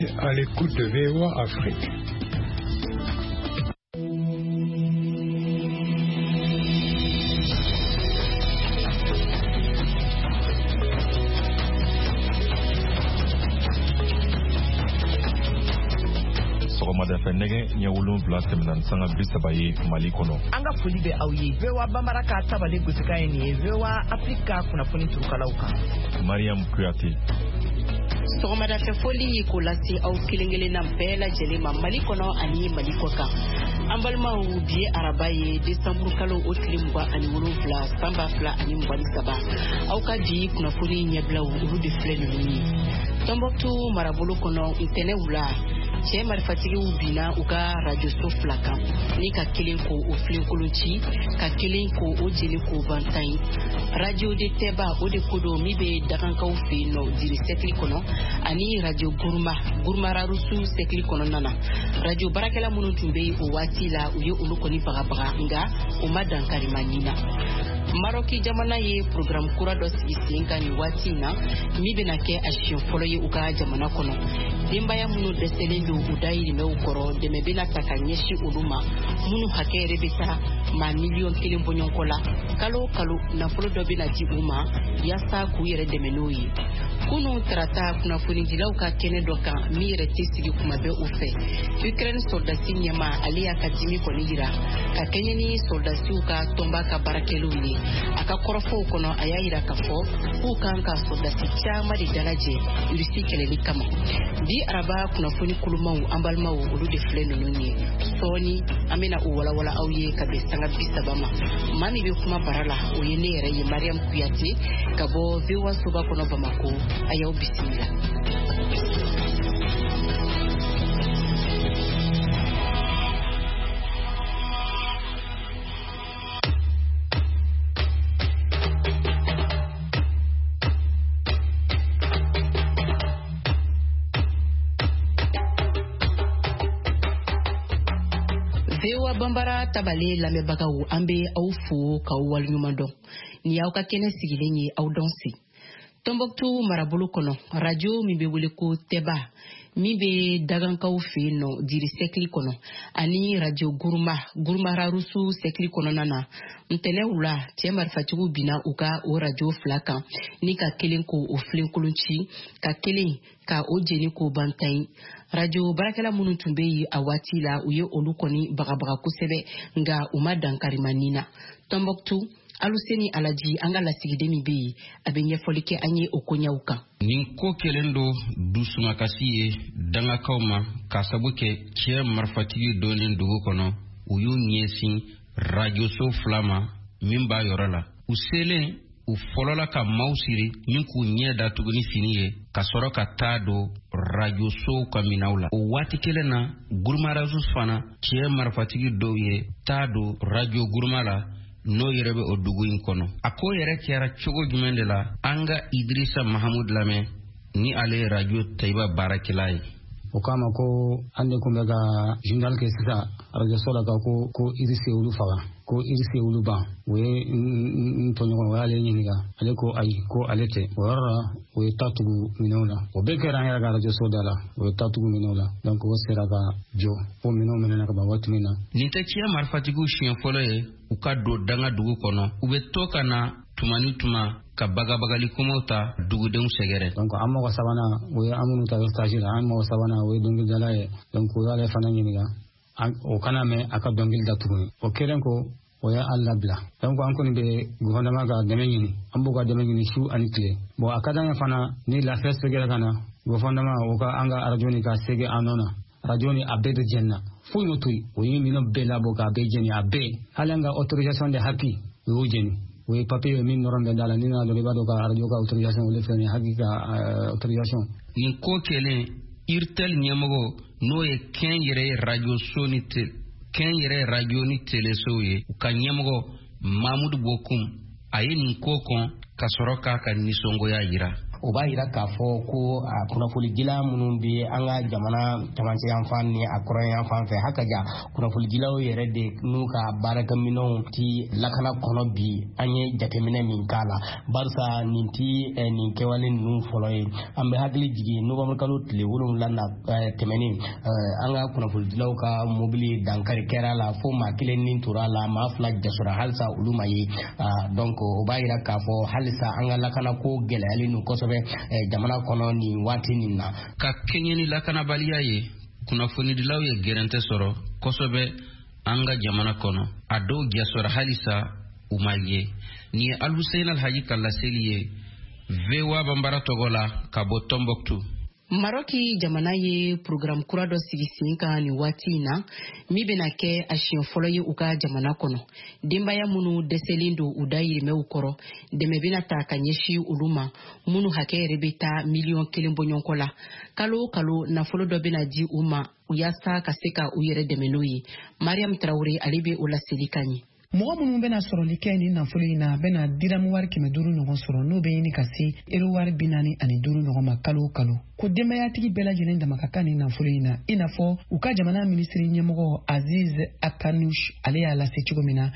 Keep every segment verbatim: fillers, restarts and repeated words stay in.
À l'écoute de V O A Afrique. Sɔgɔmada fɛ nɛgɛ ɲɛ wolonwula tɛmɛna ni sanga bi saba ye Mali kɔnɔ. An ka foli bɛ aw ye V O A Bambara ka tabale gosikan ye nin ye V O A Afrique ka kunnafoni turukalaw kan. Mariam Kuyate. Sɔgɔmada fɛ foli k'o lase aw kelen kelenna bɛɛ lajɛlen ma Mali kɔnɔ ani Mali kɔ kan. An balimaw, bi ye araba ye, desanburu kalo o tile mugan ani wolonwula san ba fila ani mugan ni saba. Aw ka bi kunnafoni ɲɛbilaw olu de filɛ ninnu ye. Tɔnbɔkutu marabolo kɔnɔ ntɛnɛn wula, cɛ marifatigiw binna u ka rajoso fila kan ni ka kelen ko o filenkolon ci, ka kelen ko o jeni k'o ban tan ye. Radio de Tɛba o de ko don min bɛ dagankaw fɛ yen nɔ Diri sɛkili kɔnɔ ani radio Guruma Gurumararusu sɛkili kɔnɔna na. Radio baarakɛla minnu tun bɛ o waati la, u ye olu kɔni bagabaga, nka o ma dankari ma ɲin na. Marɔki jamana ye programme kura dɔ sigi sen kan nin waati in na min bɛna kɛ a siɲɛ fɔlɔ ye u ka jamana kɔnɔ. Denbaya minnu dɛsɛlen don u dayirimɛw kɔrɔ, dɛmɛ bɛna ta ka ɲɛsin olu ma minnu hakɛ yɛrɛ bɛ taa maa miliyɔn kelen bɔɲɔgɔnko la. Kalo o kalo nafolo dɔ bɛna di u ma yaasa k'u yɛrɛ dɛmɛ n'o ye. Kunun tarata kunnafonidilaw ka kɛnɛ dɔ kan min yɛrɛ tɛ sigi kuma bɛɛ o fɛ, Ukraine sɔrɔdasi ɲɛmaa ale y'a ka dimi kɔni yira ka kɛɲɛ ni sɔrɔdasiw ka tɔnba ka baarakɛlaw ye. A ka kɔrɔfɔw kɔnɔ, a y'a yira k'a fɔ k'u kan ka sɔrɔdasi caman de dalajɛ Irisi kɛlɛli kama. Bi araba kunnafoni kulumaw, an balimaw, olu de filɛ ninnu ye. Sɔɔni an bɛna o walawala aw ye ka bɛn sanga bi saba ma. Maa min bɛ kuma bara la, o ye ne yɛrɛ ye, Mariam Kuyate, ka bɔ V O A soba kɔnɔ Bamako. A y'aw bisimila. V O A Bambara tabale lamɛnbagaw, an bɛ aw fo k'aw waleɲuman dɔn. Nin y'aw ka kɛnɛ sigilen ye, aw dɔn se. Tɔnbɔkutu marabolo kɔnɔ, radio min bɛ wele ko Tɛba min bɛ dagankaw fɛ yen nɔ Diri sɛkili kɔnɔ ani radio Guruma Gurumararusu sɛkili kɔnɔna na, ntɛnɛn wula cɛ marifatigiw binna u ka o radio fila kan ni ka kelen ko o filenkolon ci, ka kelen ka o jeni k'o ban tan ye. Radio baarakɛla minnu tun bɛ yen a waati la, u ye olu kɔni bagabaga kosɛbɛ, nka u ma dankari ma nin na. Tɔnbɔkutu, Aluseni Alaji, an ka lasigiden min bɛ yen, a bɛ ɲɛfɔli kɛ an ye o koɲɛw kan. Nin ko kɛlen don dusumakasi ye dangakaw ma k'a sabu kɛ cɛ marifatigi donnen dugu kɔnɔ, u y'u ɲɛsin rajoso fila ma min b'a yɔrɔ la. U selen, u fɔlɔla ka maaw siri ni k'u ɲɛ datugu ni fini ye ka sɔrɔ ka taa don rajosow ka minɛnw la. O waati kelen na, Gurumarazu fana cɛ marifatigi dɔw ye taa don rajo Guruma la n'o yɛrɛ bɛ o dugu in kɔnɔ. A ko yɛrɛ kɛra cogo jumɛn de la, an ka Idrissa Mahamud lamɛn ni ale ye rajo Tayiba baarakɛla ye. O k'a ma ko an de kun bɛ ka journal kɛ sisan arajoso la, ka ko ko Irisi ye olu faga, ko Irisi ye olu ban. O ye n tɔɲɔgɔn, o y'ale ɲininka, ale ko ayi, ko ale tɛ. O yɔrɔ la, o ye ta tugu minɛnw na. O bɛɛ kɛra an yɛrɛ ka arajoso da la, o ye ta tugu minɛnw la. Donc o sera ka jɔ fo minɛnw minɛna ka ban waati min na. Nin tɛ cɛ marifatigiw siɲɛ fɔlɔ ye u ka don danga dugu kɔnɔ. U bɛ to ka na tuma ni tuma ka bagabagali kumaw ta dugudenw sɛgɛrɛ. Donc an mɔgɔ sabanan, o ye an minnu ta stage la, an mɔgɔ sabanan o ye dɔnkilidala ye. Donc o y'ale fana ɲininka, o kana mɛn a ka dɔnkili da tuguni. O kɛlen ko o y'an labila. Donc an kɔni bɛ gouvernement ka dɛmɛ ɲini, an b'u ka dɛmɛ ɲini su ani tile. Bon, a ka d'an ye fana ni lafiya seginna ka na, gouvernement o ka an ka arajo nin ka segin an nɔ na. Radio ni a bɛɛ de jɛnna, foyi m'o to yen. O ye minɛn bɛɛ labɔ k'a bɛɛ jɛni, a bɛɛ. Hali an ka autorisation de HAPI, o y'o jɛni. O ye papier ye min nɔrɔ bɛ da la, ni nana dɔrɔn i b'a dɔn ka radio ka autorisation olu filɛ nin ye, HAPI ka autorisation. Nin ko kɛlen, Irtel ɲɛmɔgɔ n'o ye kɛnyɛrɛye rajoso ni kɛnyɛrɛye radio ni telesow ye, u ka ɲɛmɔgɔ Mamudu Bokum, a ye nin ko kɔn ka sɔrɔ k'a ka nisɔngoya yira. O b'a yira k'a fɔ ko a kunnafonidila minnu bɛ an ka jamana camancɛ yanfan ni a kɔrɔn yanfan fɛ, hakaja kunnafonidilaw yɛrɛ de n'u ka baarakɛminɛnw ti lakana kɔnɔ bi. An ye jateminɛ min k'a la, barisa nin ti nin kɛwale ninnu fɔlɔ ye. An bɛ hakili jigin novembre kalo tile wolonwula na tɛmɛnen, an ka kunnafonidilaw ka mobili dankari kɛra la fo maa kelen ni tora la, maa fila jasora, halisa olu ma ye. Donc o b'a yira k'a fɔ halisa an ka lakana ko gɛlɛyalen don kosɛbɛ jamana kɔnɔ nin waati nin na. Ka kɛɲɛ ni lakanabaliya ye, kunnafonidilaw ye gɛrɛntɛ sɔrɔ kosɛbɛ an ka jamana kɔnɔ. A dɔw jasora, halisa u ma ye. Nin ye Alhusein Alhaji ka laseli ye V O A Banbara tɔgɔ la ka bɔ Tombouctou. Maroki jamana ye programme kura dɔ sigi sen kan nin waati in na, min bɛna kɛ a siɲɛ fɔlɔ ye u ka jamana kɔnɔ. Denbaya minnu dɛsɛlen don u dayirimɛw kɔrɔ, dɛmɛ bɛna ta ka ɲɛsin olu ma, minnu hakɛ yɛrɛ bɛ taa miliyɔn kelen bɔɲɔgɔnko la. Kalo o kalo nafolo dɔ bɛna di u ma yaasa ka se ka u yɛrɛ dɛmɛ n'o ye. Mariam Traoré ale bɛ o laseli kan ye. Mɔgɔ minnu bɛna sɔrɔli kɛ nin nafolo in na bɛna diramu wari kɛmɛ duuru ɲɔgɔn sɔrɔ, n'o bɛ ɲini ka se ero wari bi naani ani duuru ɲɔgɔn ma kalo o kalo. Ko denbayatigi bɛɛ lajɛlen dama ka kan nin nafolo in na, i n'a fɔ u ka jamana minisiri ɲɛmɔgɔ Aziz Akanush ale y'a lase cogo min na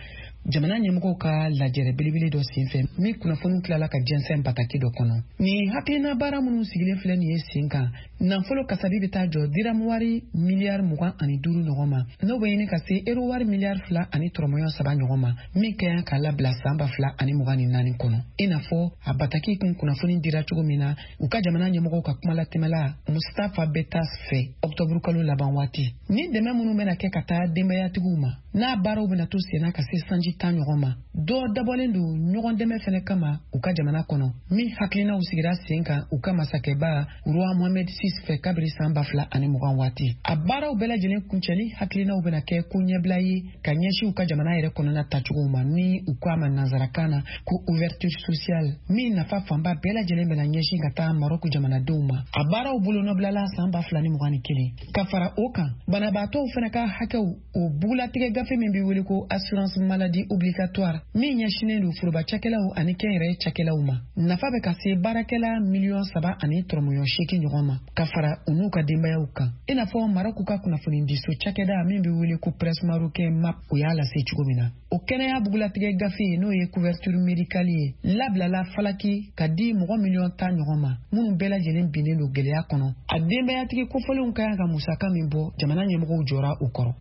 jamana ɲɛmɔgɔw ka lajɛrɛ belebele dɔ senfɛ, min kunnafoniw tilala ka jɛnsɛn bataki dɔ kɔnɔ. Nin hakilina baara minnu sigilen filɛ nin ye sen kan, nafolo kasabi bɛ taa jɔ diramu wari miliyari mugan ani duuru ɲɔgɔn ma, n'o bɛ ɲini ka se ero wari miliyari fila ani tɔrɔmɔɲɔ saba ɲɔgɔn ma, min ka kan ka labila san ba fila ani mugan ni naani kɔnɔ. I n'a fɔ a bataki kun kunnafoni dira cogo min na u ka jamana ɲɛmɔgɔw ka kumalatɛmɛla Mustafa Betas fɛ ɔkutɔburu kalo laban waati. Ni dɛmɛ minnu bɛna kɛ ka taa denbayatigiw ma, n'a baaraw bɛna to senna ka se sanji tan ɲɔgɔn ma, dɔ dabɔlen don ɲɔgɔn dɛmɛ fɛnɛ kama u ka jamana kɔnɔ, min hakilinaw sigira sen kan u ka masakɛba Roi Mohamed six fɛ kabiri san ba fila ani mugan waati. A baaraw bɛɛ lajɛlen kuncɛli hakilinaw bɛna kɛ ko ɲɛbila ye ka ɲɛsin u ka jamana yɛrɛ kɔnɔna tacogo ma, ni u ko a ma nansarakan na ko ouverture sociale, min nafa fanba bɛɛ lajɛlen bɛna ɲɛsin ka taa Marɔku jamanadenw ma. A baaraw bolonɔbilala san ba fila ni mugan ni kelen. Ka fara o kan, banabaatɔw fɛnɛ ka hakɛw o bugulatigɛ gafe min bɛ wele ko assurance maladie obligatoire, min ɲɛsinnen don foroba cakɛlaw ani kɛnyɛrɛye cakɛlaw ma, nafa bɛ ka se baarakɛla miliyɔn saba ani tɔrɔmɔɲɔ seegin ɲɔgɔn ma, ka fara u n'u ka denbayaw kan. I n'a fɔ Marɔku ka kunnafonidiso cakɛda min bɛ wele ko Presse Marocain M A P, o y'a lase cogo min na. O kɛnɛya bugulatigɛ gafe, n'o ye couverture médicale ye, labilala falaki ka di mɔgɔ miliyɔn tan ɲɔgɔn ma, minnu bɛɛ lajɛlen binnen don gɛlɛya kɔnɔ. A denbayatigi kofɔlenw ka kan ka musaka min bɔ, jamana ɲɛmɔgɔw jɔra o kɔrɔ.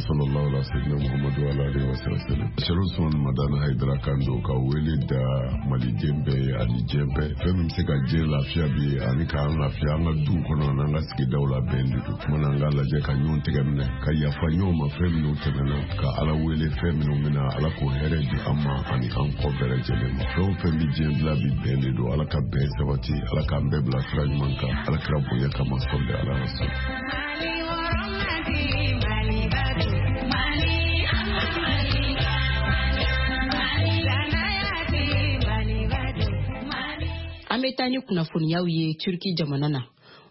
Sallallahu alaihi wasallam Muhammadu ala alihi wasallam. Sherif Usman Madani Haidara kan don ka wele da maliden bɛɛ ye ani diɲɛ bɛɛ. Fɛn min bɛ se ka diɲɛ lafiya bi ani k'an lafiya an ka duw kɔnɔ n'an ka sigidaw la bɛn de don. Kuma n'an k'a lajɛ ka ɲɔgɔn tɛgɛ minɛ, ka yafa ɲɔgɔn ma fɛn minnu tɛmɛna, ka Ala wele fɛn minnu bɛna, Ala k'o hɛrɛ di an ma ani an kɔ bɛɛ lajɛlen ma. Fɛn o fɛn bɛ diɲɛ dilan bi bɛn de don. Ala ka bɛn sabati, Ala k'an bɛɛ bila sira ɲuman kan, Ala kira bonya kama sɔli ala rasul. An bɛ taa ni kunnafoniyaw ye Turki jamana na.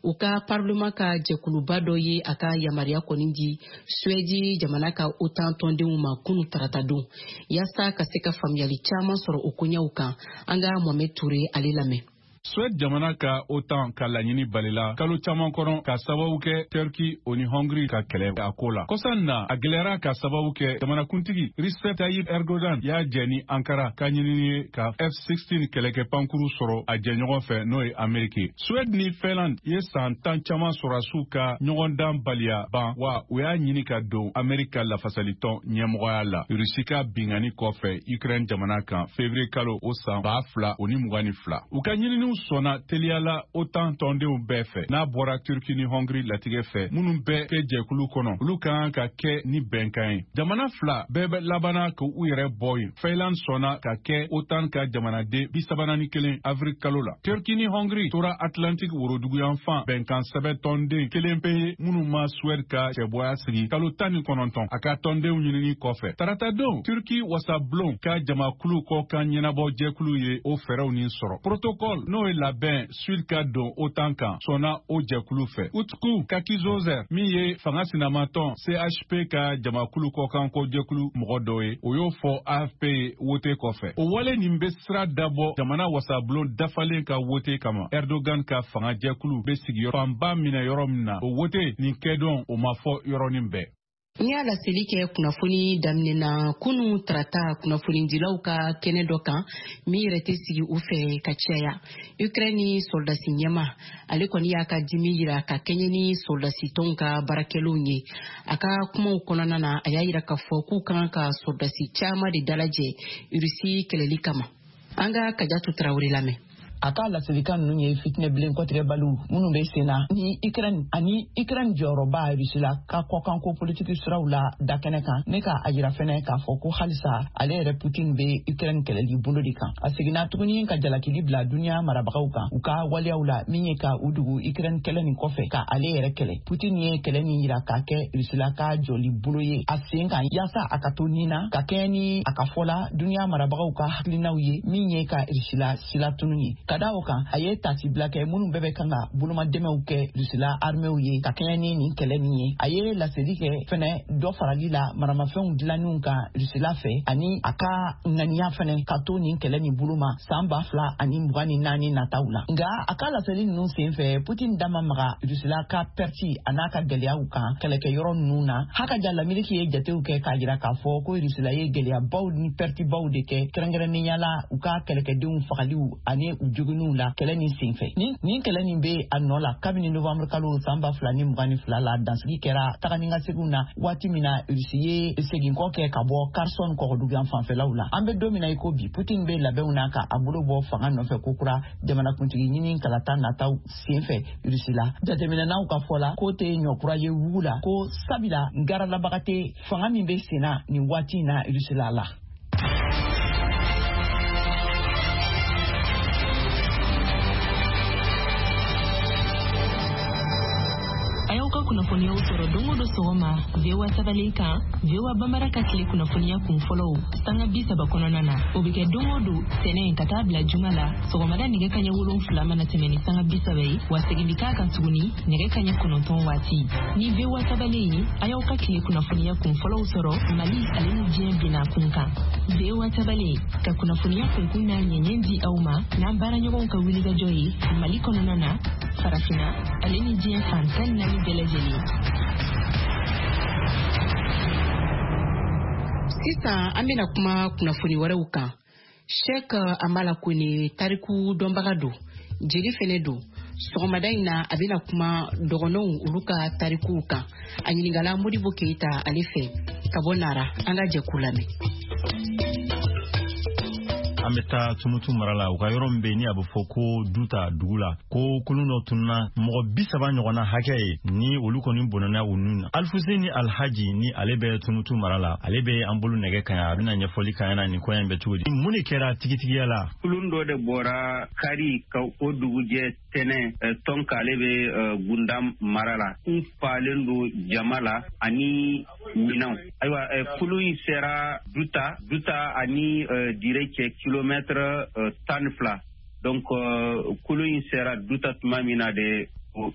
U ka parlement ka jɛkuluba dɔ ye a ka yamaruya kɔni di Suwɛdi jamana ka OTAN tɔndenw ma kunu tarata don, yaasa ka se ka faamuyali caman sɔrɔ o koɲɛw kan. An ka Mohamed Toure ale lamɛn. Suède jamana ka OTAN ka laɲini balila kalo caman kɔnɔ ka sababu kɛ Turki o ni Hongrie ka kɛlɛ a ko la. Kɔsan na a gɛlɛyara ka sababu kɛ jamanakuntigi Recep Tayyip Erdogan y'a jɛ ni Ankara ka ɲinini ye ka F sixteen kɛlɛkɛ pankuru sɔrɔ a jɛɲɔgɔn fɛ, n'o ye Ameriki. Suède ni Finlande ye san tan caman sɔrɔdasiw ka ɲɔgɔndan baliya ban, wa u y'a ɲini ka don Ameriki ka lafasalitɔn ɲɛmɔgɔya la Rusi ka binkanni kɔfɛ Ukraine jamana kan février kalo o san ba fila o ni mugan ni fila. U ka ɲininiw sɔnna teliyala OTAN tɔndenw bɛɛ fɛ, n'a bɔra Turki ni Hongrie latigɛ fɛ, minnu bɛɛ kɛ jɛkulu kɔnɔ, olu ka kan ka kɛ ni bɛnkan ye. Jamana fila bɛɛ bɛ labanna k'u yɛrɛ bɔ yen. Finlande sɔnna ka kɛ OTAN ka jamanaden bi saba ni kelen avril kalo la. Turki ni Hongrie tora Atlantique woroduguyanfan bɛnkan sɛbɛn tɔnden kelen pe ye minnu ma Suède ka cɛbɔya sigi kalo tan ni kɔnɔntɔn a ka tɔndenw ɲinini kɔfɛ. Taratadon, Turki wasabulon ka jamakulu kɔkan ɲɛnabɔ jɛkulu ye o fɛɛrɛw nin sɔrɔ. Protocole n'o n'o ye labɛn Suède ka don OTAN kan, sɔnna o jɛkulu fɛ. Utku Kakizozer, min ye fanga sinamatɔn C H P ka jamakulu kɔkanko jɛkulu mɔgɔ dɔ ye, o y'o fɔ A F P ye wote kɔfɛ. O wale nin bɛ sira dabɔ jamana wasabulon dafalen ka wote kama, Erdogan ka fanga jɛkulu bɛ sigiyɔrɔ fanba minɛ yɔrɔ min na. O wote nin kɛdon, o ma fɔ yɔrɔnin bɛɛ. N y'a laseli kɛ kunnafoni daminɛ na kunu tarata, kunnafonidilaw ka kɛnɛ dɔ kan min yɛrɛ tɛ sigi u fɛ ka caya. Ukraine sɔrɔdasi ɲɛma, ale kɔni y'a ka dimi yira ka kɛɲɛ ni sɔrɔdasi tɔnw ka baarakɛlenw ye. A ka kumaw kɔnɔna na, a y'a yira k'a fɔ k'u kan ka sɔrɔdasi caman de dalajɛ Rusi kɛlɛli kama. An ka Kajatu Tarawele lamɛn. A ka laselikan ninnu ye fitinɛbilen kɔtigɛbaliw minnu bɛ sen na ni Ukraine ani Ukraine jɔyɔrɔba Rusila ka kɔkanko politiki siraw la dakɛnɛ kan, ne ka a yira fɛnɛ k'a fɔ ko halisa ale yɛrɛ Putin bɛ Ukraine kɛlɛli bolo de kan. A seginna tuguni ka jalakili bila duniya marabagaw kan u ka waleyaw la, min ye ka u dugu Ukraine kɛlɛ nin kɔfɛ ka ale yɛrɛ kɛlɛ. Putin ye kɛlɛ nin yira k'a kɛ Rusila ka jɔli bolo ye a sen kan, yaasa a ka to nin na ka kɛɲɛ ni a ka fɔ la duniya marabagaw ka hakilinaw ye, min ye ka Rusila sila tunu ye. Ka da o kan, a ye tasibila kɛ minnu bɛɛ bɛ kan ka bolomadɛmɛw kɛ Rusila armew ye ka kɛɲɛ ni nin kɛlɛ nin ye. A ye laseli kɛ fɛnɛ dɔ farali la maramafɛnw dilanniw kan Rusila fɛ, ani a ka ŋaniya fɛnɛ ka to nin kɛlɛ nin bolo ma san ba fila ani mugan ni naani nataw la. Nka a ka laseli ninnu sen fɛ, Putin da ma maga Rusila ka pɛriti a n'a ka gɛlɛyaw kan kɛlɛkɛyɔrɔ ninnu na. Haka ja, Lameriki ye jatew kɛ k'a jira k'a fɔ ko Rusila ye gɛlɛyabaw ni pɛritibaw de kɛ, kɛrɛnkɛrɛnnenya la u ka kɛlɛkɛdenw fagaliw ani u joginniw la kɛlɛ nin senfɛ. Nin nin kɛlɛ nin bɛ a nɔ la kabini novembre kalo san ba fila ni mugan ni fila la, dansigi kɛra taga ni ka seginw na, waati min na Rusi ye seginkɔ kɛ ka bɔ Kherson kɔgɔduguyan fanfɛlaw la. An bɛ don min na i ko bi, Putin bɛ labɛnw na ka a bolo bɔ fanga nɔfɛ kokura jamanakuntigi ɲini kalata nataw senfɛ Rusi la. Jateminɛnaw ka fɔ la, k'o tɛ ɲɔkura ye wugu la, ko sabila garalabaga tɛ fanga min bɛ sen na nin waati in na Rusi la la. A y'aw ka kunnafoniyaw sɔrɔ don o don sɔgɔma V O A tabalen kan, V O A Bambara ka tile kunnafoniya kun fɔlɔw sanga bi saba kɔnɔna na. O bɛ kɛ don o don tɛnɛ ka taa bila juma la, sɔgɔmada nɛgɛ kaɲɛ wolonfila mana tɛmɛ ni sanga bi saba ye, wa segin bɛ k'a kan tuguni nɛgɛ kaɲɛ kɔnɔntɔn waati. Ni V O A tabalen ye, a y'aw ka tile kunnafoniya kun fɔlɔw sɔrɔ Mali ale ni diɲɛ bina kun kan. V O A tabalen ka kunnafoniya kunkun n'a ɲɛɲɛ di aw ma n'an baaraɲɔgɔnw ka wulikajɔ ye Mali kɔnɔna na, Farafinna ale ni diɲɛ fan tan ni naani bɛɛ lajɛlen. Sisan an bɛna kuma kunnafoni wɛrɛw kan. Sheikh Amala Kone, tariku dɔnbaga don, jeli fɛnɛ don. Sɔgɔmada in na, a bɛna kuma dɔgɔnɔw olu ka tarikuw kan. A ɲininkala Modibo Keyita ale fɛ ka bɔ Nara. An ka jɛ k'u lamɛn. An bɛ taa Tumutu mara la, u ka yɔrɔ min bɛ yen ni a bɛ fɔ ko Duta dugu la, ko kulun dɔ tununa, mɔgɔ bi saba ɲɔgɔnna hakɛ ye ni olu kɔni bɔnɛna u nun na. Alifuseni Alhaji, ni ale bɛ Tumutu mara la, ale bɛ an bolo nɛgɛ kan, a bɛna ɲɛfɔli k'an ɲɛna nin ko in bɛ cogo di, mun de kɛra tigitigiya la. Kulun dɔ de bɔra kari ka o dugujɛ tɛnɛ tɔn k'ale bɛ Gunda mara la, kun falen don jama la ani minɛnw. Ayiwa, kulun in sera Duta, Duta ani Dire cɛ kilomètre tan ni fila. Donc kulun in sera Duta tuma min na de,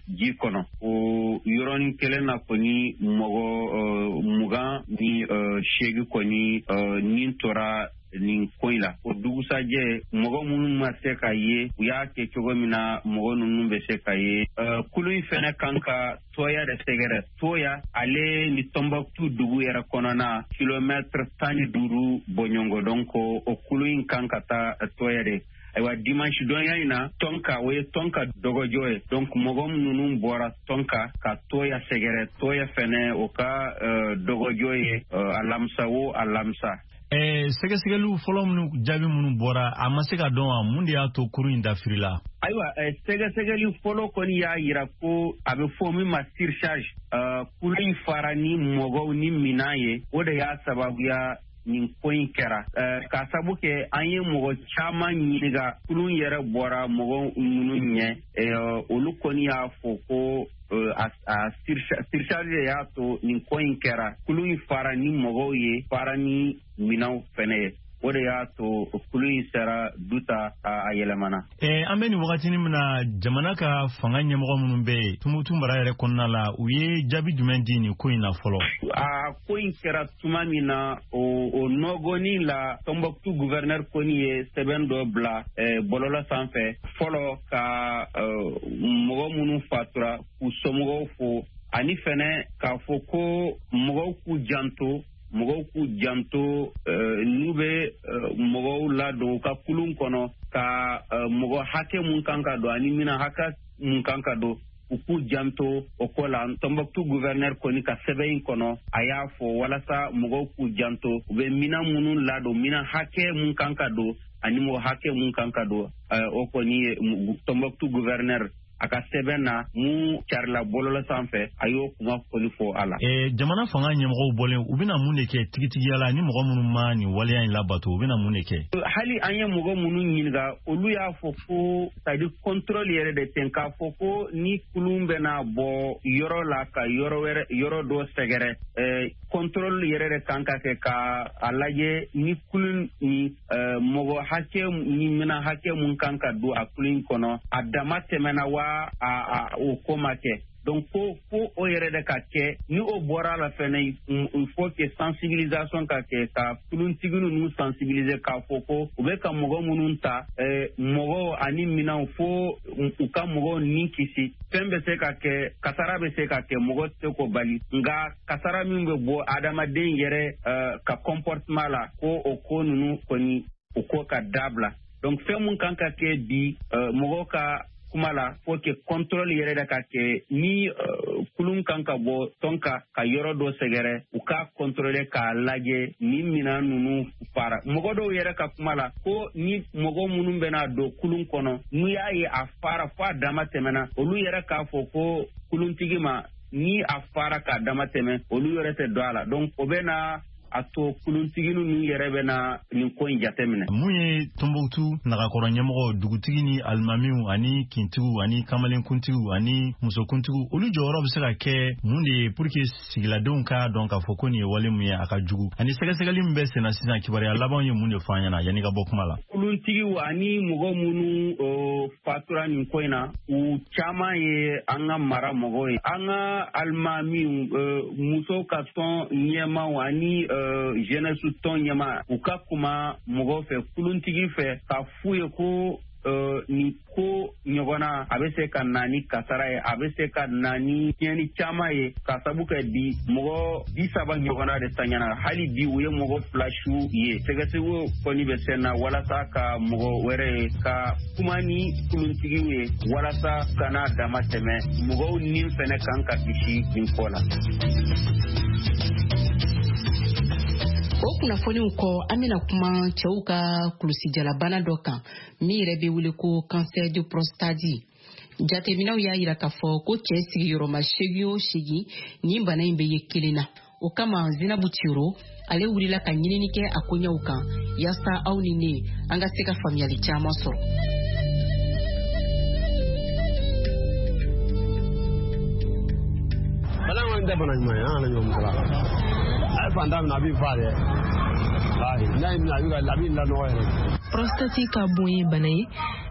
ji kɔnɔ o yɔrɔnin kelen na kɔni, mɔgɔ mugan ni seegin kɔni nin tora nin ko in la. O dugusajɛ, mɔgɔ minnu ma se ka ye, u y'a kɛ cogo min na mɔgɔ ninnu bɛ se ka ye. Kulu in fɛnɛ kan ka Tɔya de sɛgɛrɛ. Tɔya ale ni Tɔnbɔkutu dugu yɛrɛ kɔnɔna kilomètre tan ni duuru bɔɲɔgɔn. Donc o kulu in kan ka taa Tɔya de. Ayiwa, dimanche donya in na, Tɔnka, o ye Tɔnka dɔgɔjɔ ye. Donc mɔgɔ minnu bɔra Tɔnka ka Tɔya sɛgɛrɛ, Tɔya fɛnɛ o ka dɔgɔjɔ ye alamisa o alamisa. Ɛɛ sɛgɛsɛgɛliw fɔlɔ minnu, jaabi minnu bɔra, a ma se ka dɔn wa mun de y'a to kurun in dafirila? Ayiwa, sɛgɛsɛgɛli fɔlɔ kɔni y'a yira ko a bɛ fɔ min ma surcharge, kurun in fara ni mɔgɔw ni minan ye, o de y'a sababuya nin ko in kɛra. K'a sabu kɛ an ye mɔgɔ caman ɲininka, kulun yɛrɛ bɔra mɔgɔ minnu ɲɛ, olu kɔni y'a fɔ ko a surcharge de y'a to nin ko in kɛra. Kulun in fara ni mɔgɔw ye, fara ni minɛnw fɛnɛ ye. O de y'a to kulu in sera Duta, a yɛlɛmana. Eh, an bɛ nin wagatinin min na, jamana ka fanga ɲɛmɔgɔ minnu bɛ yen Tumutu mara yɛrɛ kɔnɔna la, u ye jaabi jumɛn di nin ko in na fɔlɔ? A ko in kɛra tuma min na, o o nɔgɔnin la, Tombouctou gouverneur kɔni ye sɛbɛn dɔ bila eh, bɔlɔlɔ sanfɛ fɔlɔ ka eh, mɔgɔ minnu fatura k'u somɔgɔw fo, ani fɛnɛ k'a fɔ ko mɔgɔw k'u janto mɔgɔw k'u janto n'u bɛ mɔgɔw ladon u ka kulun kɔnɔ, ka mɔgɔ hakɛ mun kan ka don ani mina hakɛ mun kan ka don, u k'u janto o ko la. Tombouctou gouverneur kɔni ka sɛbɛn in kɔnɔ, a y'a fɔ walasa mɔgɔw k'u janto u bɛ minan minnu ladon, minan hakɛ mun kan ka don ani mɔgɔ hakɛ mun kan ka don. O kɔni ye Tombouctou gouverneur a ka sɛbɛn na mun carila bɔlɔlɔ sanfɛ, a y'o kuma kɔni fɔ a la. Eh, jamana fanga ɲɛmɔgɔw bɔlen, u bɛna mun de kɛ tigitigiya la ni mɔgɔ minnu ma nin waleya in labato, u bɛna mun de kɛ? Hali an ye mɔgɔ minnu ɲininka, olu y'a fɔ ko c'est-à-dire contrôle yɛrɛ de ten, k'a fɔ ko ni kulun bɛna bɔ yɔrɔ la ka yɔrɔ wɛrɛ, yɔrɔ dɔ sɛgɛrɛ, eh, contrôle yɛrɛ de kan ka kɛ ka a lajɛ ni kulun ni eh, mɔgɔ hakɛ ni mina hakɛ mun kan ka don a kulun kɔnɔ, a dama tɛmɛna wa a a o ko ma kɛ. Donc fo fo o yɛrɛ de ka kɛ. Ni o bɔra la fɛnɛ, il faut que sensibilisation ka kɛ, ka kuluntigi ninnu sensibiliser k'a fɔ ko u bɛ ka mɔgɔ minnu ta, eh, mɔgɔw ani minɛnw, fo u ka mɔgɔw ni kisi. Fɛn bɛ se ka kɛ, kasara bɛ se ka kɛ, mɔgɔ tɛ se k'o bali, nka kasara min bɛ bɔ adamaden yɛrɛ uh, ka comportement la, ko o ko ninnu kɔni, o ko ka dabila. Donc fɛn mun kan ka kɛ bi, uh, mɔgɔw ka kuma la, faut que contrôle yɛrɛ de ka kɛ ni uh, kulun kan ka bɔ tɔn ka ka yɔrɔ dɔ sɛgɛrɛ, u k'a contrôler k'a lajɛ ni minan ninnu fara. Mɔgɔ dɔw yɛrɛ ka kuma la, ko ni mɔgɔ minnu bɛna don kulun kɔnɔ, n'u y'a ye a fara fo a dama tɛmɛna, olu yɛrɛ k'a fɔ ko kuluntigi ma ni a fara k'a dama tɛmɛ, olu yɛrɛ tɛ don a la. Donc o bɛ na a to kuluntigi ninnu yɛrɛ bɛ na nin ko in jateminɛ. Mun ye Tombouctou nagakɔrɔ ɲɛmɔgɔ, dugutigi ni alimamiw ani kintigiw ani kamalenkuntigiw ani musokuntigiw, olu jɔyɔrɔ bɛ se ka kɛ mun de ye pour que sigiladenw k'a dɔn k'a fɔ ko nin ye wale mun ye, a ka jugu, ani sɛgɛsɛgɛli min bɛ senna sisan, kibaruya labanw ye mun de fɔ an ɲɛna yanni ka bɔ kuma la? Kuluntigiw ani mɔgɔ minnu fatura nin ko in na, u caman ye an ka mara mɔgɔw ye, an ka alimamiw, musow ka tɔn ɲɛmaaw ani jeunesse tɔn ɲɛma, u ka kuma mɔgɔw fɛ, kuluntigi fɛ, k'a f'u ye ko uh, nin ko ɲɔgɔnna a bɛ se ka na ni kasara ye, a bɛ se ka na ni tiɲɛni caman ye, ka sabu kɛ bi mɔgɔ bi saba ɲɔgɔnna de taɲana. Hali bi u ye mɔgɔ fila su ye. Sɛgɛsɛgɛw kɔni bɛ sen na walasa ka mɔgɔ wɛrɛ ye, ka kuma ni kuluntigiw ye walasa kana dama tɛmɛ, mɔgɔw ni fɛnɛ kan ka kisi nin ko la. O kunnafoniw kɔ, an bɛna kuma cɛw ka kulusijalabana dɔ kan min yɛrɛ bɛ wele ko cancer de prostate. Jateminɛw y'a yira k'a fɔ ko cɛ sigiyɔrɔma seegin o seegin, nin bana in bɛ ye kelen na. O kama, Zinabu Tiro ale wulila ka ɲinini kɛ a koɲɛw kan yaasa aw ni ne an ka se ka faamuyali caman sɔrɔ. Bana kɔni tɛ bana ɲuman ye, an kana ɲɔgɔn musala. A ye fantan minɛ, a b'i fa dɛ. Walahi, n'a y'i minɛ, a b'i ka a b'i lanɔgɔ yɛrɛ. Prostate ka bon ye bana ye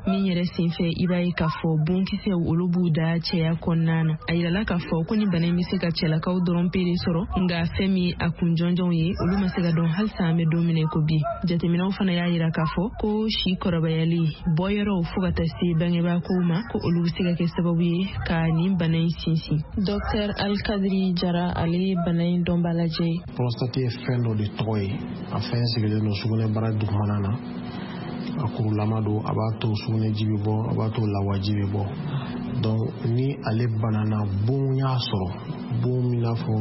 min yɛrɛ senfɛ, i b'a ye k'a fɔ bonkisɛw olu b'u da cɛya kɔnɔna na. A yirala k'a fɔ ko ni bana in bɛ se ka cɛlakaw dɔrɔn pe de sɔrɔ, nka fɛn min a kun jɔnjɔnw ye, olu ma se ka dɔn halisa an bɛ don min na ko bi. Jateminɛw fana y'a yira k'a fɔ ko si kɔrɔbayali, bɔyɔrɔw, fo ka taa se bangebaakow ma, ko olu bɛ se ka kɛ sababu ye ka nin bana in sinsin. Dɔktɛr Alikadiri Jara, ale ye bana in dɔnbaa lajɛ ye. Prostate ye fɛn dɔ de tɔgɔ ye, a fɛn sigilen don sugunɛbara dugumana na, a kurulama don, a b'a to sugunɛji bɛ bɔ, a b'a to lawaji bɛ bɔ. Donc ni ale banana, bon y'a sɔrɔ, bon min n'a fɔ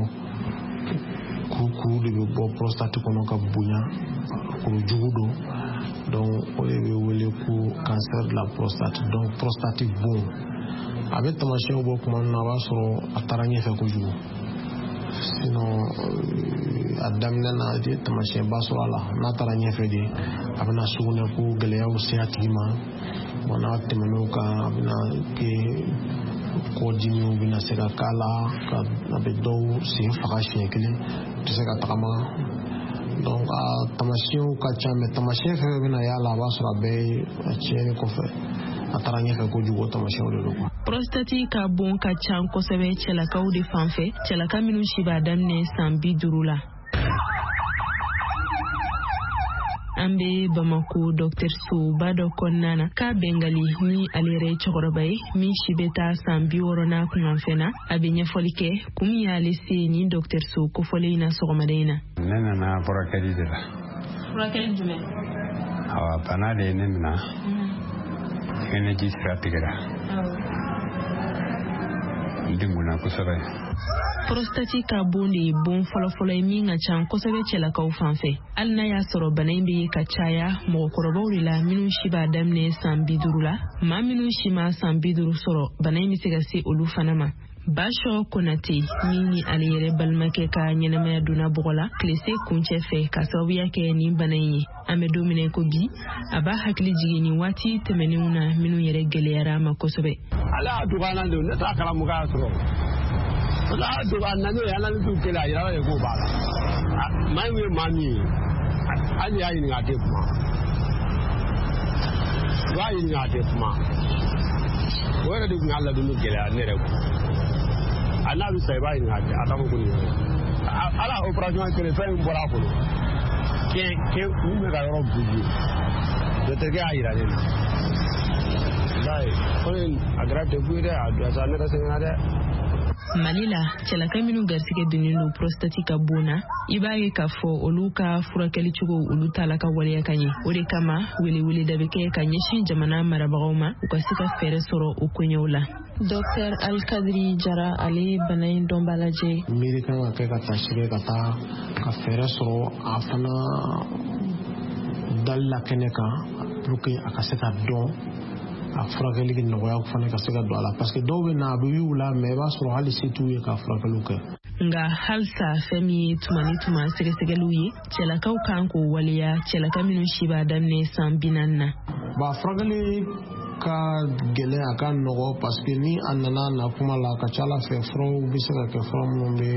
kurukuru de bɛ bɔ prostate kɔnɔ ka bonya, kuru jugu don. Donc o de bɛ wele ko cancer de la prostate. Donc prostate bon, a bɛ tamasiyɛnw bɔ tuma min na, a b'a sɔrɔ a taara ɲɛfɛ kojugu. Sinon a daminɛ na, i tɛ tamasiyɛnba sɔrɔ a la. N'a taara ɲɛfɛ de, a bɛna sugunɛ ko gɛlɛyaw se a tigi ma. Bon, n'a tɛmɛn'o kan, a bɛna kɛ kɔdimiw bɛna se ka k'a la, ka a bɛ dɔw sen faga siɲɛ kelen, u tɛ se ka tagama. Donc a tamasiyɛnw ka ca, mais tamasiyɛn fɛn fɛn bɛna y'a la, a b'a sɔrɔ a bɛɛ ye a tiɲɛni kɔfɛ, a taara ɲɛfɛ kojugu, o tamasiyɛnw de don quoi. Prostate ka bon ka ca kosɛbɛ cɛlakaw de fan fɛ, cɛlaka minnu si b'a daminɛ san bi duuru la. An bɛ Bamako dɔgɔtɔrɔsoba dɔ kɔnɔna na k'a Bɛngali ni ale yɛrɛ ye cɛkɔrɔba ye min si bɛ taa san bi wɔɔrɔ n'a kunkanfɛn na. A bɛ ɲɛfɔli kɛ kun min y'ale se nin dɔgɔtɔrɔso kofɔlen in na sɔgɔmada in na. Ne nana furakɛli de la. Furakɛli jumɛn? Awa, bana de ye ne minɛ. Sugunɛji sira tigɛra. N degunna kosɛbɛ. Prostate ka bon de ye bon fɔlɔfɔlɔ ye min ka ca kosɛbɛ cɛlakaw fan fɛ. Hali n'a y'a sɔrɔ bana in bɛ ye ka caya mɔgɔkɔrɔbaw de la minnu si b'a daminɛ san bi duuru la, maa minnu si ma san bi duuru sɔrɔ, bana in bɛ se ka se olu fana ma. Basɔ Konate min ni ale yɛrɛ balimakɛ ka ɲɛnamaya donna bɔgɔ la tilese kuncɛ fɛ ka sababuya kɛ nin bana in ye, an bɛ don min na ko bi, a b'a hakili jigin nin waati tɛmɛnenw na minnu yɛrɛ gɛlɛyara a ma kosɛbɛ. Ale y'a dɔgɔya de, ne t'a kalamu k'a sɔrɔ. Ala y'a dɔgɔya nani ye analyse kɛlɛ a yirala de k'o b'a la. Maa min ye maa min ye, hali y'a ɲininka a tɛ kuma. I b'a ɲininka a tɛ kuma. O yɛrɛ de tun y'a ladonni gɛlɛya ne yɛrɛ kun. A n'a bɛ sa i b'a ɲininka a t'a fɔ ko nin yɛrɛ. Ala opération kɛlɛ fɛn min bɔra a kɔnɔ. Kɛ kɛ mun bɛ ka yɔrɔ bouger. Docteur y'a yira ne na. Walayi ko in a kɛra degun ye dɛ, a don sa ne yɛrɛ sɛgɛnna dɛ. Mali la, cɛlaka minnu garisɛgɛ donnen don prostate ka bon na, i b'a ye k'a fɔ olu ka furakɛli cogo olu t'a la ka waleya ka ɲɛ. O de kama weleweleda bɛ kɛ ka ɲɛsin jamana marabagaw ma, u ka se ka fɛɛrɛ sɔrɔ o koɲɛw la. Docteur Alkadiri Jara, ale ye bana in dɔnbaa lajɛ. Miiri kan ka kɛ ka taa sɛgɛ ka taa ka fɛɛrɛ sɔrɔ a fana dali la kɛnɛ kan pour que a ka se ka dɔn, a furakɛli nɔgɔya fana ka se ka don a la, parce que dɔw bɛ na a bɛ y'u la, mais i b'a sɔrɔ hali se t'u ye ka furakɛliw kɛ. Nka halisa fɛn min ye tuma ni tuma sɛgɛsɛgɛliw ye, cɛlakaw kan k'o waleya, cɛlaka minnu si b'a daminɛ san bi naani na. Bon, furakɛli ka gɛlɛn, a ka nɔgɔ, parce que ni a nana na kuma la, a ka ca ala fɛ furaw bɛ se ka kɛ fura minnu bɛ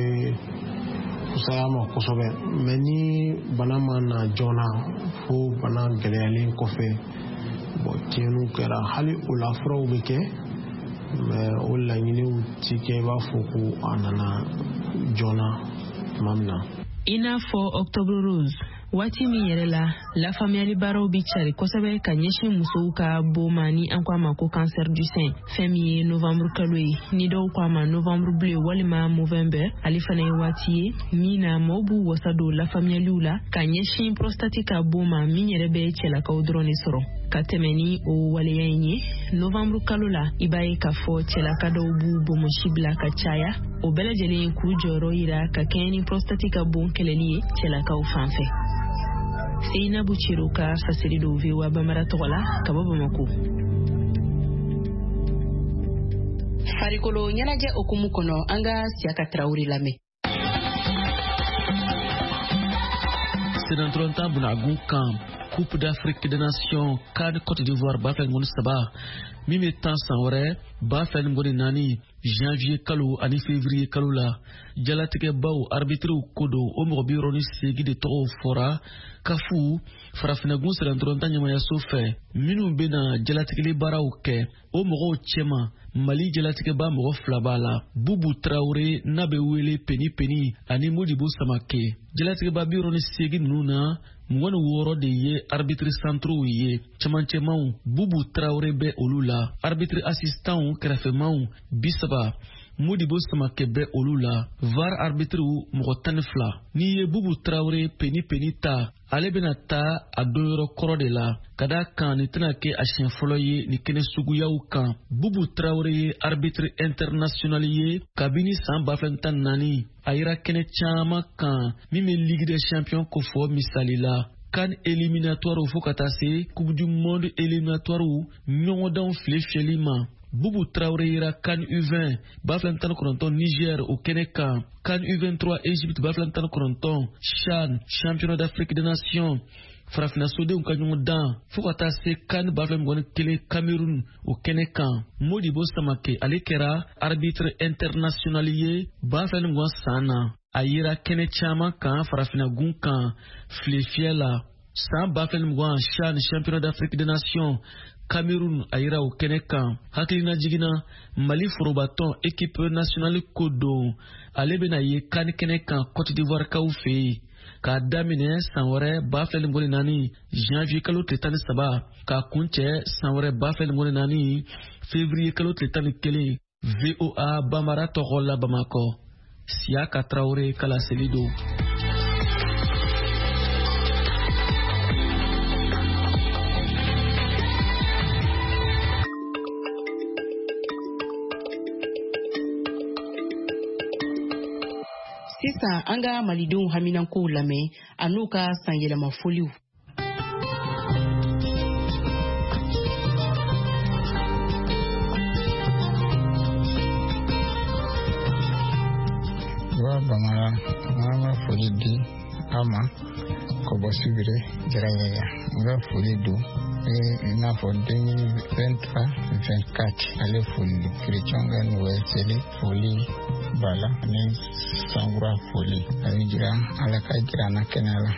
fisaya ma kosɛbɛ, mais ni bana ma na joona fo bana gɛlɛyalen kɔfɛ, bon, tiɲɛniw kɛra, hali o la furaw bɛ kɛ, mais o laɲiniw ti kɛ i b'a fɔ ko a nana joona tuma min na. I n'a fɔ Octobre Rose, waati min yɛrɛ la lafaamuyali baaraw bɛ cari kosɛbɛ ka ɲɛsin musow ka bon ma ni an ko a ma ko cancer du sein. Fɛn min ye novembre kalo ye, ni dɔw ko a ma novembre bleu walima Movember, ale fana ye waati ye min na maaw b'u wasa don lafaamuyaliw la ka ɲɛsin prostate ka bon ma min yɛrɛ bɛ cɛlakaw dɔrɔn de sɔrɔ. Ka tɛmɛ ni o waleya in ye, novembre kalo la, i b'a ye k'a fɔ cɛlaka dɔw b'u bonbonsi bila ka caya, o bɛɛ lajɛlen k'u jɔyɔrɔ yira ka kɛɲɛ ni prostate ka bon kɛlɛli ye cɛlakaw fan fɛ. Seinabu Ciro ka fasiri don V O A Bambara tɔgɔ la ka bɔ Bamako. Farikolo ɲɛnajɛ hukumu kɔnɔ, an ka Siyaka Tarawele lamɛn. Senatɔrɔntan bunagun kan Coupe d'Afrique des Nations CAN Côte d'Ivoire ba fila ni mugan ni saba min bɛ tan san wɛrɛ ba fila ni mugan ni naani janvier kalo ani février kalo la, jalatigɛbaw arbitriw ko don, o mɔgɔ bi wɔɔrɔ ni seegin de tɔgɔw fɔra kafu farafinnagun senatɔrɔntan ɲɛmayaso fɛ minnu bɛna jalatigɛli baaraw kɛ. O mɔgɔw cɛma Mali jalatigɛba mɔgɔ fila b'a la, Bubu Tarawele n'a bɛ wele Peni Peni ani Modibo Samake. Jalatigɛba bi wɔɔrɔ ni seegin ninnu na, mugan ni wɔɔrɔ de ye arbitre centraux ye, cɛmancɛmaw Bubu Tarawele bɛ olu la, arbitre assistantw kɛrɛfɛmaw bi saba, Modibo Samake bɛ olu la, V A R arbitre mɔgɔ tan ni fila. N'i ye Bubu Tarawele Peni Peni ta, ale bɛna taa a donyɔrɔ kɔrɔ de la, ka d'a kan nin tɛna kɛ a siɲɛ fɔlɔ ye nin kɛnɛ suguyaw kan. Bubu Tarawele ye arbitre international ye kabini san ba fila ni tan ni naani, a yera kɛnɛ caman kan min bɛ Ligue des champions kofɔ misali la, CAN éliminatoire fo ka taa se Coupe du monde éliminatoire ɲɔgɔndanw file fiyɛli ma. Bubu Traoré yera CAN U vingt ba fila ni tan ni kɔnɔntɔn Niger o kɛnɛ kan, CAN U vingt-trois Égypte ba fila ni tan ni kɔnɔntɔn, CHAN Championnat d'Afrique des Nations Farafinna sodenw ka ɲɔgɔn dan fo ka taa se CAN ba fila mugan ni kelen Cameroun o kɛnɛ kan. Modibo Samake ale kɛra arbitre international ye ba fila ni mugan san na. A yera kɛnɛ caman kan farafinna gun kan filefiyɛ la. San ba fila ni mugan CHAN championnat d'Afrique des Nations Cameroun a yira o kɛnɛ kan. Hakilina jiginna, Mali forobatɔn équipe nationale ko don, ale bɛna ye CAN kɛnɛ kan Côte d'Ivoire kaw fɛ yen k'a daminɛ san wɛrɛ ba fila ni mugan ni naani janvier kalo tile tan ni saba k'a kuncɛ san wɛrɛ ba fila ni mugan ni naani février kalo tile tan ni kelen. V O A Bambara tɔgɔ la Bamakɔ, Siyaka Tarawele ka laseli don. Sisan an ka malidenw haminankow lamɛn an'u ka sanyɛlɛma foliw. Wa Bamara, an ka foli di a ma ka bɔ Sibiri Jaraɲɛgɛ. N ka foli don i n'a fɔ deux mille vingt-trois vingt-quatre, ale foli don kerecɛnw ka Noël seli foli b'a la ani sankura foli. A bɛ jira, Ala ka jira an na kɛnɛya la,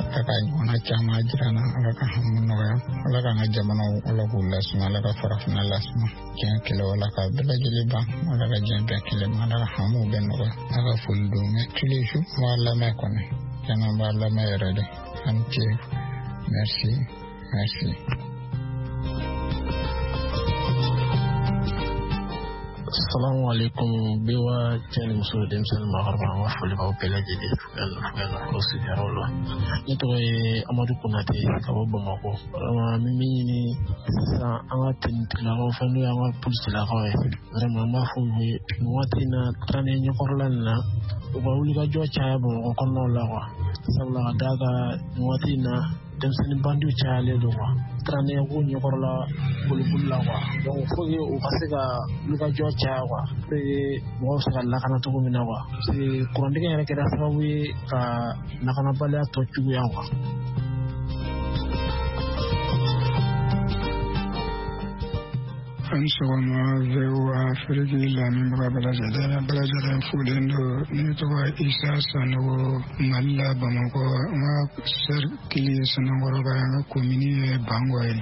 Ala ka ɲɔgɔnna caman jira an na, Ala ka hami nɔgɔya, Ala k'an ka jamanaw, Ala k'u lasuma, Ala ka farafinna lasuma, diɲɛ kɛlɛ Ala ka bɛɛ lajɛlen ban, Ala ka diɲɛ bɛɛ kelen ma, Ala ka hamiw bɛɛ nɔgɔya. Ala ka foli don. Mais tous les jours n b'a lamɛn kɔni, tiɲɛna n b'a lamɛn yɛrɛ de. A ni ce, merci, merci. Salamu alaikum, V O A cɛ ni muso, denmisɛnnin, maakɔrɔba, an ka foli b'aw bɛɛ lajɛlen fo yan nɔ, fo yan nɔ, fo sigiyɔrɔ la. Ne tɔgɔ ye Amadu Konate ka bɔ Bamakɔ. Vraiment, an bɛ min ɲini sisan an ka tenitigilakaw fɛ, n'o y'an ka polisilakaw ye, vraiment an b'a fɔ u ye nin waati in na, trente ɲɛkɔrɔla nin na, u ka wulikajɔ caya Bamakɔ kɔnɔnaw la quoi. Sabula ka d'a kan nin waati in na, denmisɛnnin bandiw cayalen don quoi, trente ko ɲɛkɔrɔla boliboli la quoi. Donc faut que u ka se ka wulikajɔ caya quoi, pour que mɔgɔw bɛ se ka lakana cogo min na quoi, parce que kurantigɛ yɛrɛ kɛra sababu ye ka lakanabaliya tɔ juguya quoi. An sɔgɔma, V O A Afiriki lamɛnbaga bɛɛ lajɛlen, bɛɛ lajɛlen folen don. Ne tɔgɔ Isa Sanogo, Mali la, Bamakɔ. N ka cercle ye Sanankɔrɔba ye, an ka commune ye Bangɔ ye,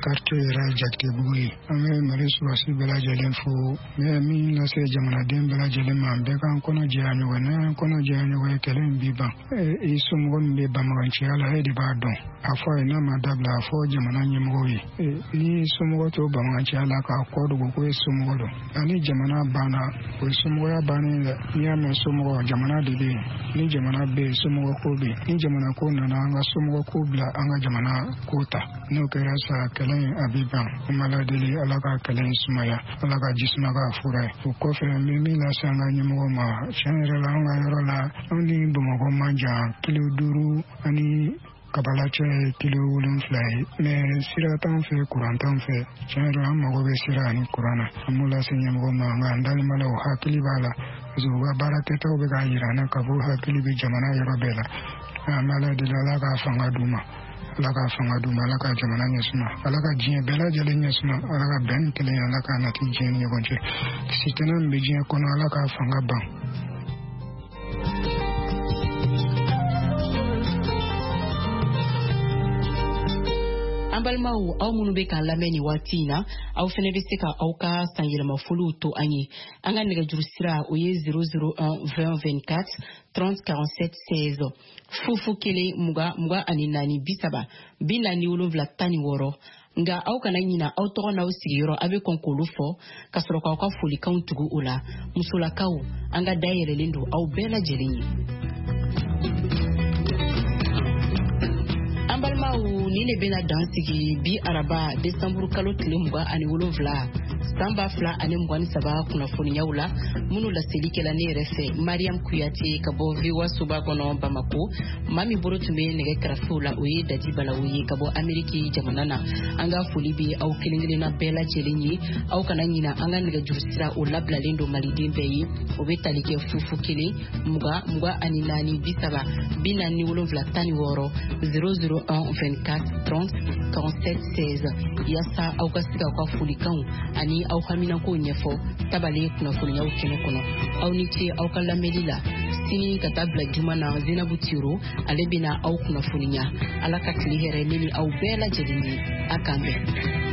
quartier yɛrɛ Jakitebugu ye. An bɛ Mali sɔrɔdasi bɛɛ lajɛlen fo. N bɛ min lase jamanaden bɛɛ lajɛlen ma, bɛɛ k'an kɔnɔ jɛya ɲɔgɔn. N'an kɔnɔ jɛya ɲɔgɔn ye, kɛlɛ in bi ban. I somɔgɔ min bɛ banbaganciya la, e de b'a dɔn. A fɔ a ye, n'a ma dabila, a fɔ jamana ɲɛmɔgɔw ye. Ni somɔgɔ to banbaganciya la k'a kɔ dogo ko e somɔgɔ don, ani jamana banna, o ye somɔgɔya bannen dɛ. N'i y'a mɛn somɔgɔ, jamana de bɛ yen. Ni jamana bɛ yen, somɔgɔ ko bɛ yen. Ni jamana ko nana, an ka somɔgɔ ko bila, an ka jamana ko ta. N'o kɛra sa, kɛlɛ in a bɛ ban. An b'a ladeli, Ala ka kɛlɛ in sumaya, Ala ka ji suma k'a fura ye. O kɔfɛ, n bɛ min lase an ka ɲɛmɔgɔ ma, tiɲɛ yɛrɛ la, an ka yɔrɔ la, anw ni Bamakɔ man jan, kilo duuru ani Kabala cɛ ye kilo wolonfila ye, mais sira t'an fɛ, kuran t'an fɛ. Tiɲɛ yɛrɛ la, an mago bɛ sira ani kuran na. An b'o lase ɲɛmɔgɔ ma, nka an dalen b'a la, o hakili b'a la, parce que u ka baara kɛtaw bɛ k'a yira an na k'a fɔ hakili bɛ jamana yɔrɔ bɛɛ la. An bɛ Ala deli, Ala k'a fanga d'u ma, Ala ka fanga d'u ma, Ala ka jamana ɲɛsuma, Ala ka diɲɛ bɛɛ lajɛlen ɲɛsuma, Ala ka bɛn ni kelen, Ala k'a nati diɲɛ ni ɲɔgɔn cɛ. Sitanɛ min bɛ diɲɛ kɔnɔ, Ala k'a fanga ban. An balimaw, aw minnu bɛ k'an lamɛn nin waati in na, aw fɛnɛ bɛ se ka aw ka sanyɛlɛmafoliw to an ye. An ka nɛgɛjuru sira, o ye zéro zéro un vingt vingt-quatre trente quarante-sept seize, fufu kelen mugan mugan ani naani bi saba bi naani wolonwula tan ni wɔɔrɔ. Nka aw kana ɲina aw tɔgɔ n'aw sigiyɔrɔ, a bɛ kɔn k'olu fɔ ka sɔrɔ k'aw ka folikanw tugu o la. Musolakaw, an ka dayɛlɛlen don aw bɛɛ lajɛlen ye. An balima Balimaw, nin de bɛna dan sigi bi araba desanburu kalo tile mugan ani wolonfila san ba fila ani mugan ni saba kunnafoniyaw la, minnu laseli kɛla ne yɛrɛ fɛ, Mariam Kuyate, ka bɔ V O A soba kɔnɔ Bamako. Maa min bolo tun bɛ nɛgɛ karafew la, o ye Dadi Balawu ye ka bɔ Ameriki jamana na. An ka foli bɛ aw kelen kelenna bɛɛ lajɛlen ye. Aw kana ɲina, an ka nɛgɛjuru sira o labilalen don maliden bɛɛ ye. O bɛ tali kɛ fu fu kelen mugan mugan ani naani bi saba bi naani ni wolonfila tan ni wɔɔrɔ, zéro zéro un vingt-quatre trente quarante-sept seize, yaasa aw ka se k'aw ka folikanw ani aw haminankow ɲɛfɔ tabale kunnafoniyaw kɛnɛ kɔnɔ. Aw ni ce aw ka lamɛnli la. Sini ka taa bila juma na, Zenabu Tiro ale bɛna aw kunnafoniya. Ala ka tile hɛrɛ ne ni aw bɛɛ lajɛlen ye. A k'an bɛn.